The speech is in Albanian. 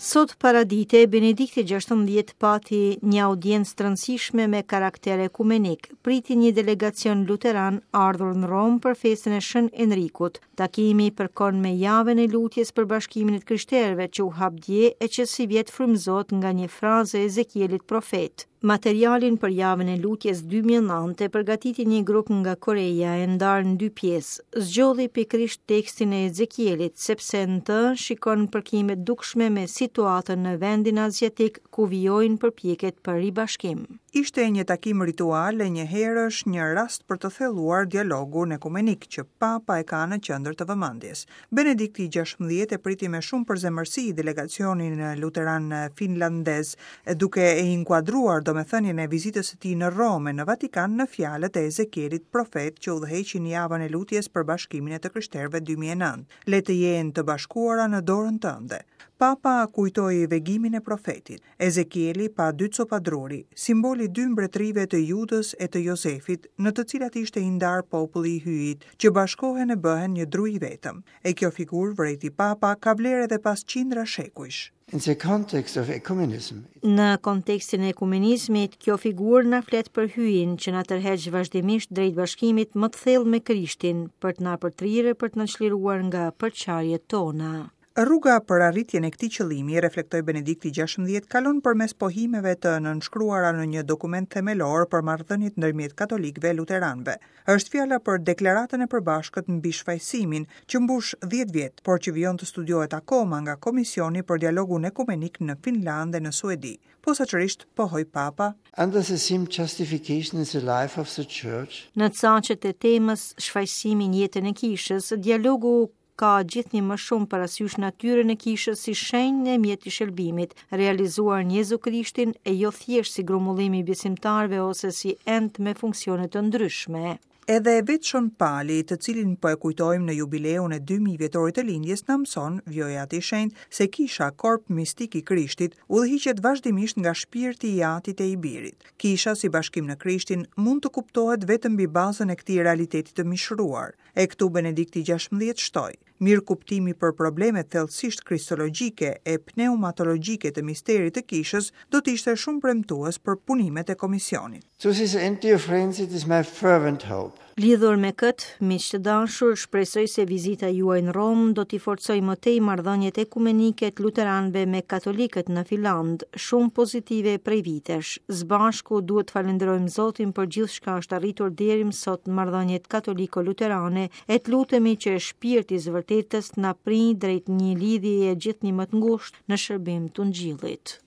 Sot paradite, Benedikti 16 pati një audiencë të rëndësishme me karakter ekumenik. Priti një delegacion luteran ardhur në Romë për festën e Shën Enrikut. Takimi përkon me javën e lutjes për bashkimin e të krishterëve që u hap dje e që sivjet frymëzohet nga një frazë e Ezekielit profet. Materialin për javën e lutjes 2009 e përgatiti një grup nga Koreja e ndarë në dy pjesë. Zgjodhi pikërisht tekstin e Ezekielit, sepse në të shikon përkime të dukshme me situatën në vendin aziatik ku vijojnë përpjekjet për ribashkim. Ishte një takim ritual e njëherësh një rast për të thelluar dialogun ekumenik që Papa e ka në qendër të vëmendjes. Benedikti 16 e priti me shumë përzemërsi delegacionin luteran finlandez, duke e inkuadruar domethënien e vizitës së tij në Romë e në Vatikan në fjalët e Ezekielit profet që udhëheqin javën e lutjes për bashkimin e të krishterëve 2009. Le të jenë të bashkuara në dorën tënde. Papa kujtoi vegimin e profetit. Ezekieli pa dy copa druri, simbol i dy mbretërive të Judës e të Jozefit, në të cilat ishte i ndarë populli i Hyjit, që bashkohen e bëhen një dru i vetëm. E kjo figurë, vërejti Papa, ka vlerë edhe pas qindra shekujsh. In the context of ecumenism. Në kontekstin e ekumenizmit, kjo figurë na flet për Hyjin që na tërheq vazhdimisht drejt bashkimit më të thellë me Krishtin, për të na përtrirë e për të na çliruar nga përçarjet tona. Rruga për arritjen e këtij qëllimi, reflektoi Benedikti 16, kalon përmes pohimeve të nënshkruara në një dokument themelor për marrëdhëniet ndërmjet katolikëve e luteranëve. Është fjala për deklaratën e përbashkët mbi shfajësimin, që mbush 10 vjet, por që vijon të studiohet akoma nga Komisioni për Dialogun Ekumenik në Finlandë e në Suedi. Posaçërisht, pohoi Papa, Under the theme Justification in the life of the Church, Në caqet e temës shfajësimi në jetën e kishës, dialogu ka gjithnjë më shumë parasysh natyrën e kishës si shenjë e mjet i shëlbimit, realizuar në Jezu Krishtin e jo thjesht si grumbullim i besimtarëve ose si ent me funksione të ndryshme. Edhe vetë Shën Pali, të cilin po e kujtojmë në jubileun e 2000 vjetorit të lindjes, na mëson, vijoi Ati i Shenjtë, se kisha, korp mistik i Krishtit, udhëhiqet vazhdimisht nga shpirti i Atit e i Birit. Kisha si bashkim në Krishtin mund të kuptohet vetëm mbi bazën e këtij realiteti të mishëruar. E këtu Benedikti 16 shtoi, mirëkuptimi për problemet thellësisht kristologjike e pneumatologjike të misterit të kishës do të ishte shumë premtues për punimet e komisionit. To this end, dear friends, it is my fervent hope. Lidhur me këtë, miq të dashur, shpresoj se vizita juaj në Romë do t'i forcojë më tej marrëdhëniet ekumenike të luteranëve me katolikët në Finlandë, shumë pozitive prej vitesh. Së bashku duhet të falënderojmë Zotin për gjithçka është arritur deri më sot në marrëdhëniet katoliko-luterane e të lutemi që shpirti i së vërtetës të na prijë drejt një lidhjeje gjithnjë më të ngushtë në shërbim të Ungjillit.